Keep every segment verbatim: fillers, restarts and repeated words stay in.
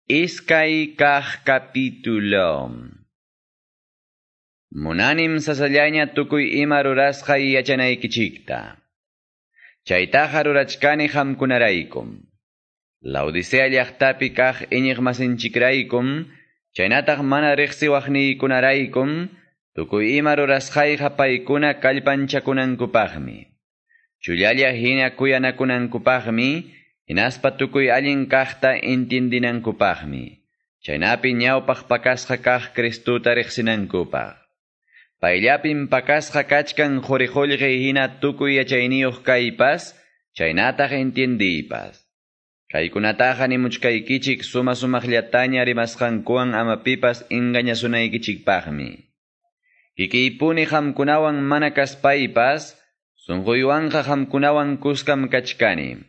Iskay kaq capítulo. Munanim sasallaña tukuy ima rurasqay yachanaykichikta. Chaytaqa rurachkani qamkunaraykum. Laodicea llaqtapi kaq iñiqmasinchikraykum, chaynataq mana riqsiwaqniykunaraykum, tukuy ima rurasqayqa paykuna kallpanchakunankupaqmi. Chullalla hina kuyanakunankupaqmi, hinaspa tukuy allin kaqta intindinankupaqmi. Chaynapi ñawpaq pakasqa kaq Cristuta riqsinankupaq. Payllapim pakasqa kachkan quri-qullqi hina tukuy yachayniyuq kaypas, chaynataq entiendiypas. Kaykunataqa nimuchkaykichik suma sumaqllataña rimasqankuwan ama pipas engañasunaykichikpaqmi. Kikiypuni qamkunawan mana kaspaypas, sunquywanqa qamkunawan kuskam kachkani.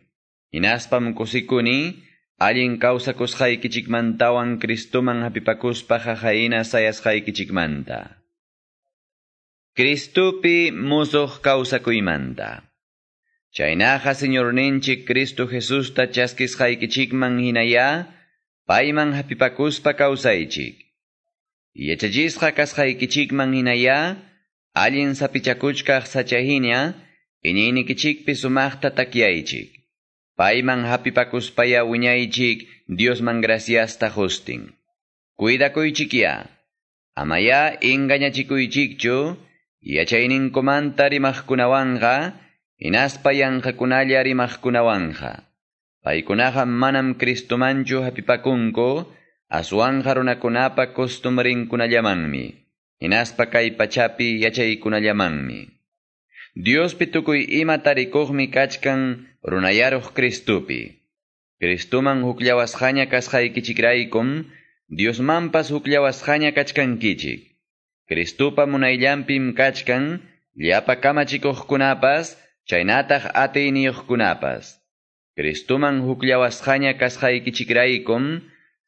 Hinaspam kusikuni, allin kawsakusqaykichikmantawan Cristuman hapipakuspa qaqayna sayasqaykichikmanta. Cristupi musuq kawsakuymanta. Chaynaqa Señorninchik Cristo Jesusta chaskisqaykichikman hinaya, payman hapipakuspa kawsaychik. Yachachisqa kasqaykichikman hinaya, allin sapichakuchkaq sachahina, iñiynikichikpi sumaqta takyaychik. Payman hapipakuspaya wiñaychik Diosman graciasta qustin. Cuidakuychikya, amaya engañachikuychikchu, yachayninkumanta rimaqkunawanqa, hinaspa yanqakunalla rimaqkunawanqa. Paykunaqa manam Cristumanchu hapipakunku, aswanqa runakunapa costumbrinkunallamanmi, hinaspa kay pachapi yachaykunallamanmi. Diospi tukuy ima tarikuqmi kachkan runayaruq Cristupi. Cristuman hukllawasqaña kasqaykichikraykum, Diosmanpas hukllawasqaña kachkankichik. Cristupa munayllanpim kachkan, llapa kamachikuqkunapas, chaynataq atiyniyuqkunapas. Cristuman hukllawasqaña kasqaykichikraykum,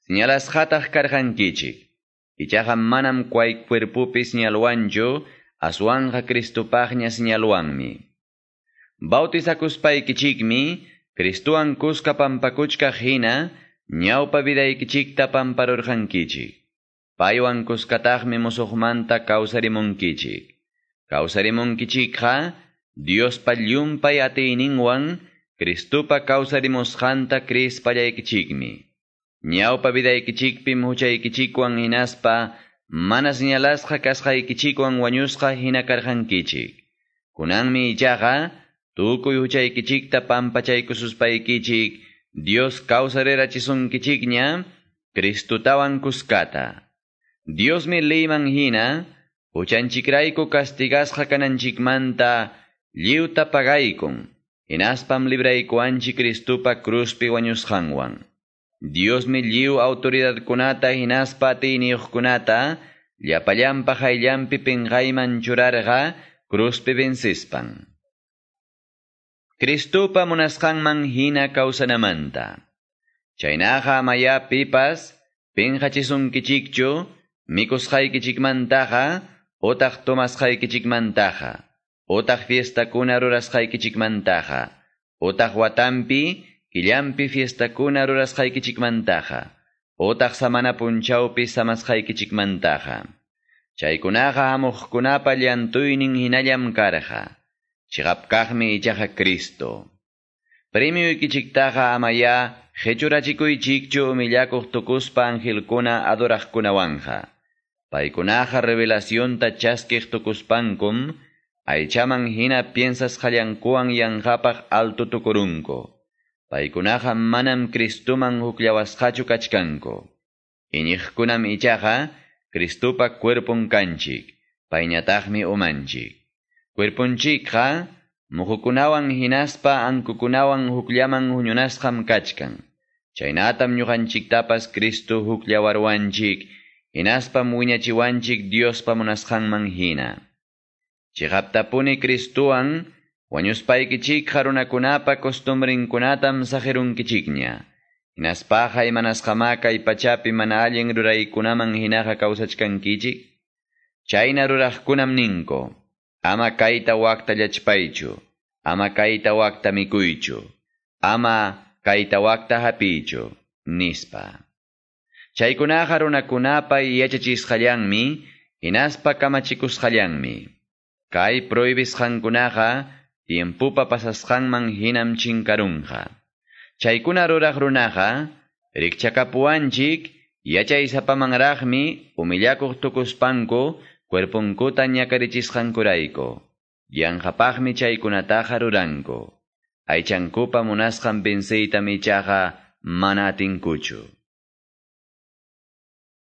señalasqataq karqankichik. Ichaqa manam kay cuerpopi señalwanchu, aswanqa Cristupaqña señalwanmi. Bautizakuspaykichikmi, Cristuwan kuska pampakuchkaq hina, ñawpa vidaykichikta pamparurqankichik. Paywan kuskataqmi musuqmanta kawsarimunkichik. Kawsarimunkichikqa, Diospa llumpay atiyninwan, Cristupa kawsarimusqanta krispallaykichikmi. Ñawpa vidaykichikpim huchaykichikwan hinaspa, mana señalasqa kasqaykichikwan wañusqa hina karqankichik. Kunanmi ichaqa, tukuy huchaykichikta pampachaykususpaykichik, Dios kawsarirachisunkichikña, Cristutawan kuskata. Diosmi leyman hina, huchanchikrayku castigasqa kananchikmanta, lliwta pagaykun, hinaspam libraykuwanchik Cristupa cruzpi wañusqanwan. Diosmi lliw autoridadkunata hinaspa atiyniyuqkunata, llapallanpa qayllanpi pinqayman churarqa, cruzpi vencespan. Cristupa munasqanman hina kawsanamanta. Chaynaqa amaya pipas, pinqachisunkichikchu, mikusqaykichikmantaqa, otaq tomasqaykichikmantaqa, otaq fiestakuna rurasqaykichikmantaqa, otaq watampi, killampi fiestakuna rurasqaykichikmantaqa, otaq samana punchawpi samasqaykichikmantaqa. Chaykunaqa hamuqkunapa llantuynin hinallam karqa. Chiqapkaqmi ichaqa Cristo. Premioykichiktaqa amaya qechurachikuychikchu humillakuq tukuspa angelkuna adoraqkunawanqa. Paykunaqa revelacionta chaskiq tukuspankum, aychaman hina piensasqallankuwan yanqapaq alto tukurunku. Paykunaqa manam Cristuman hukllawasqachu kachkanku. Iñiqkunam ichaqa Cristupa cuerpon kanchik, payñataqmi umanchik. Cuerponchikqa muhukunawan hinaspa ankukunawan hukllaman huñunasqam kachkan. Chaynatam ñuqanchiktapas Cristo hukllawarwanchik, hinaspam wiñachiwanchik Diospa munasqanman hina. Chiqaptapuni Cristuwan wañuspaykichikqa runakunapa costumbrinkunatam saqirunkichikña. Hinaspaqa imanasqamá kay pachapi mana allin ruraykunaman hinaqa kawsachkankichik. Chayna ruraqkunam ninku, ama kayta wakta llachpaychu, ama kayta wakta mikuychu, ama kayta wakta hapiychu, nispa. Chaykunaqa runakunapa yachachisqallanmi, hinaspa kamachikusqallanmi. Kay prohibisqankunaqa tiempupa pasasqanman hinam chinkarunqa. Chaykuna ruraq runaqa rikchakapuwanchik yachaysapamanraqmi humillakuq tukuspanku cuerponkuta ñakarichisqankurayku. Yanqapaqmi chaykunataqa ruranku. Aychankupa munasqan venceytam ichaqa mana atinkuchu.